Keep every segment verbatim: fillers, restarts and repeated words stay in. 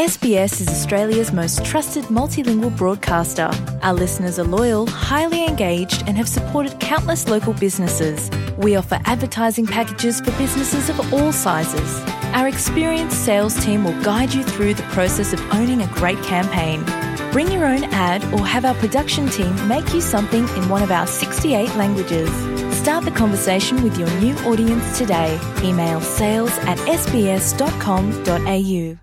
S B S is Australia's most trusted multilingual broadcaster. Our listeners are loyal, highly engaged, and have supported countless local businesses. We offer advertising packages for businesses of all sizes. Our experienced sales team will guide you through the process of owning a great campaign. Bring your own ad or have our production team make you something in one of our sixty-eight languages. Start the conversation with your new audience today. Email sales at S B S dot com dot A U.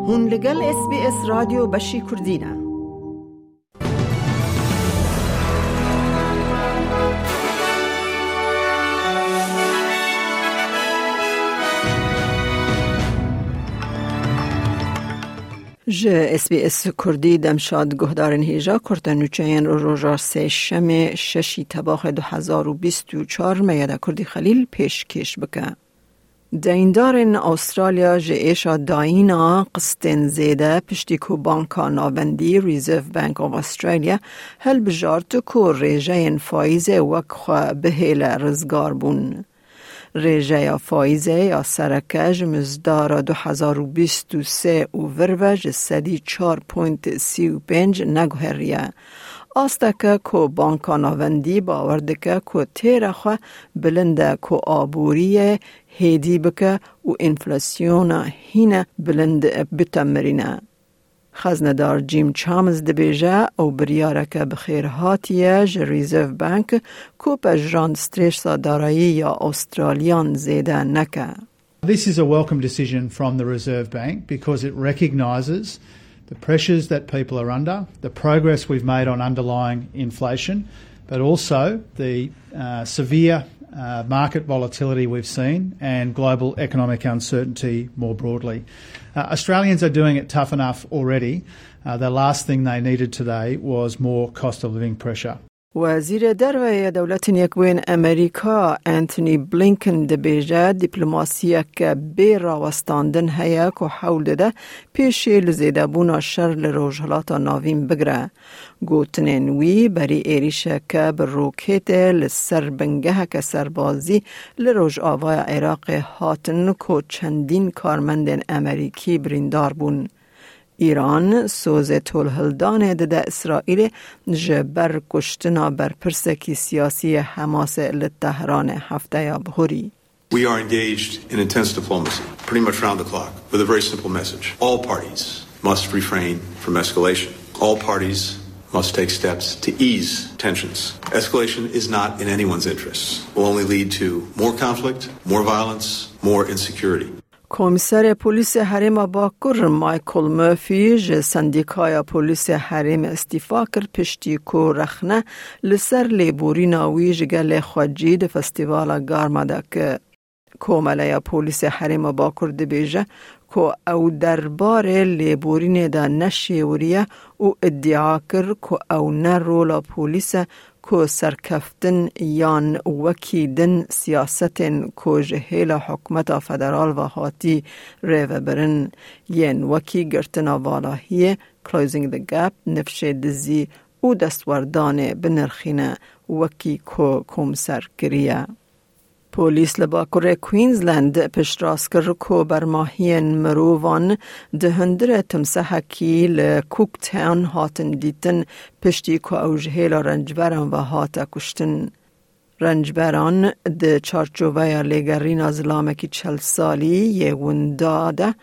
Hûn li gel S B S Radyo Beşî Kurdî ne. Ji S B S Kurdî demşad guhdarên hêja kurte nûçeyên roja sêşemê şeşî tebaxê du hezar û bîst û çar Meyeda Kurdî Xelîl pêşkêş bike. Deyîndarên Awustralya ji êşa dayîna qistên zêde piştî ku Banka Navendî Reserve Bank of Australia helbijart ku rêjeyên faîzê wek xwe bihêle rizgar bûn. Rêjeya faîzê ya sereke ji mizdara du hezar û bîst û sê û vir ve ji sedî çar point sî û pênc neguheriye. Asteke ku Banka Navendî bawer dike ku têra xwe bilind e ku aboriyê hêdî bike û enflasyona hîne bilind bitemirîne. Xeznedar Jim Chalmers dibêje, ew biryareke bi xêr hatiye ji Reserve Bank ku pejirand stresa darayî ya Awustraliyan zêde neke. This is a welcome decision from the Reserve Bank because it recognises the pressures that people are under, the progress we've made on underlying inflation, but also the uh, severe uh, market volatility we've seen and global economic uncertainty more broadly. Uh, Australians are doing it tough enough already. Uh, the last thing they needed today was more cost of living pressure. Wezîrê Derve yê Dewletên Yekbûyên Amerîka Antony Blinken dibêje, dîplomasiyeke bê rawestandin heye ku hewl dide pêşê li zêdebûna şer li Rojhilata Navîn bigire. Gotinên wî berî êrîşeke bi roketê li ser bingeheke serbazî li rojavaya Iraqê hatin ku çendîn karmendên Amerîkî birîndar bûn. Îran sozê tolhildanê dide Îsraîlê ji ber kuştina berpirsekî siyasî yê Hemasê li Tehranê hefteya bihurî. We are engaged in intense diplomacy, pretty much round the clock, with a very simple message. All parties must refrain from escalation. All parties must take steps to ease tensions. Escalation is not in anyone's interests. It will only lead to more conflict, more violence, more insecurity. Komîserê Polîsê Herêma Bakur Michael Murphy ji Sendîkaya Polîsê Herêmê îstîfa kir, piştî ku rexne li ser lêborîna wî ji gelê xwecî di festîvala Garma de kir. Komeleya Polîsê Herêma Bakur dibêje ku ew derbarê lêborînê de neşêwiriye û îdia kir ku ew ne rola polîs e ku serkeftin yan wekî din siyasetên ku ji hêla hikûmeta federal ve hatî rêvebirin, yên wekî girtina valahiyê, closing the gap, nifşê dizî û destwerdanê binirxîne, wekî ku komser kiriye. Polîs li Bakurê Queensland piştrast kir ku bermahiyên mirovan di hundirê timsehekî li Cooktown hatin dîtin, piştî ku ew ji hêla rencberan ve hate kuştin. Rencberan di çarçoveya lêgerîna zilamekî çel salî yê winda de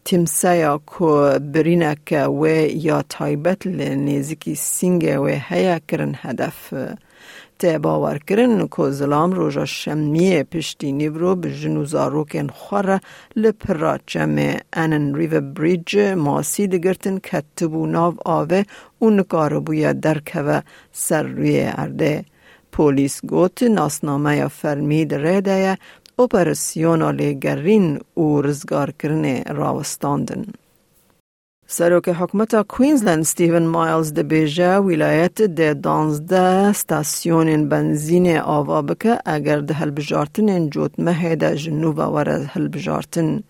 timseya ku birîneke wê ya taybet li nêzîkî sîngê wê heye kirin hedef. Tê bawerkirin ku zilam roja şemiyê piştî nîvro bi jin û zarokên xwe re li pira çemê Annan River Bridge masî digirtin, ketibû nav avê û nikaribûye derkeve ser rûyê erdê. Polîs got, nasnameya fermî di rê de ye, operasyona lêgerîn û rizgarkirinê rawestandin. Serokê Hikûmeta Queensland Stephen Miles dibêje, wîlayet dê danzdeh stasyonên benzînê ava bike, eger di hilbijartinên cotmehê de ji nû ve were hilbijartin.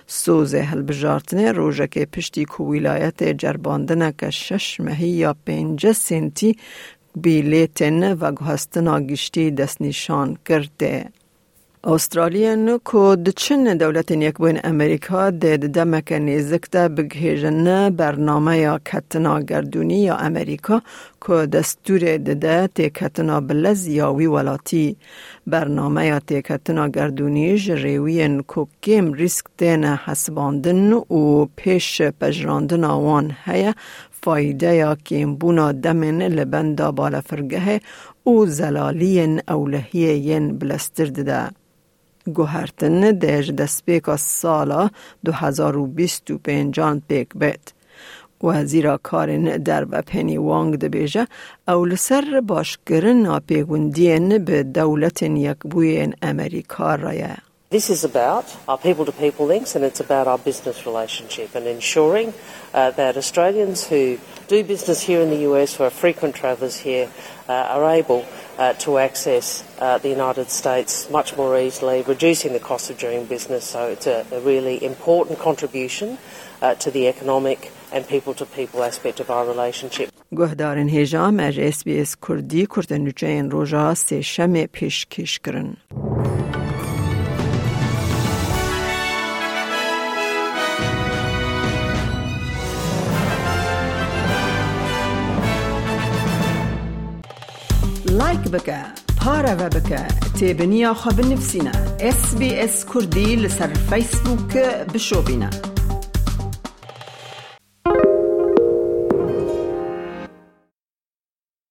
Sozê hilbijartinê rojekê piştî ku wîlayetê cerbandineke şeş mehî ya pêncî sentî bîletên veguhestina giştî destnîşan kir tê. Australiyan ku diçin Dewletên Yekbûyên Amerîka dê di demeke nêzik de bigihêjin bernameya ketina gerdûnî ya Amerîka ku destûrê dide têketina bi lez ya wî welatî. Bernameya têketina gerdûnî ji rêwiyên ku kêm rîsk têne hesibandin û pêş pejirandina wan heye, faydeya kêmbûna demên li benda balefirgehê û zelaliyên ewlehiyê yên bileztir dide. Guhertin dê ji destpêka sala du hezar û bîst û pêncan pêk bêt. Wezîra Karên Derve Penny Wong dibêje, ew li ser başkirina pêgundiyên bi Dewletên Yekbûyên Amerîka re ye. This is about our people to people links, and it's about our business relationship and ensuring uh, that Australians who do business here in the U S, who are frequent travellers here, uh, are able uh, to access uh, the United States much more easily, reducing the cost of doing business. So it's a, a really important contribution uh, to the economic and people to people aspect of our relationship. Guhdarên hêja, me ji S B S Kurdî kurtenûçeyên roja Sêşemê pêşkêş kirin. Like bike, pareve bike, têbiniya xwe binivîsîne. S B S Kurdî li ser Facebook bişopîne.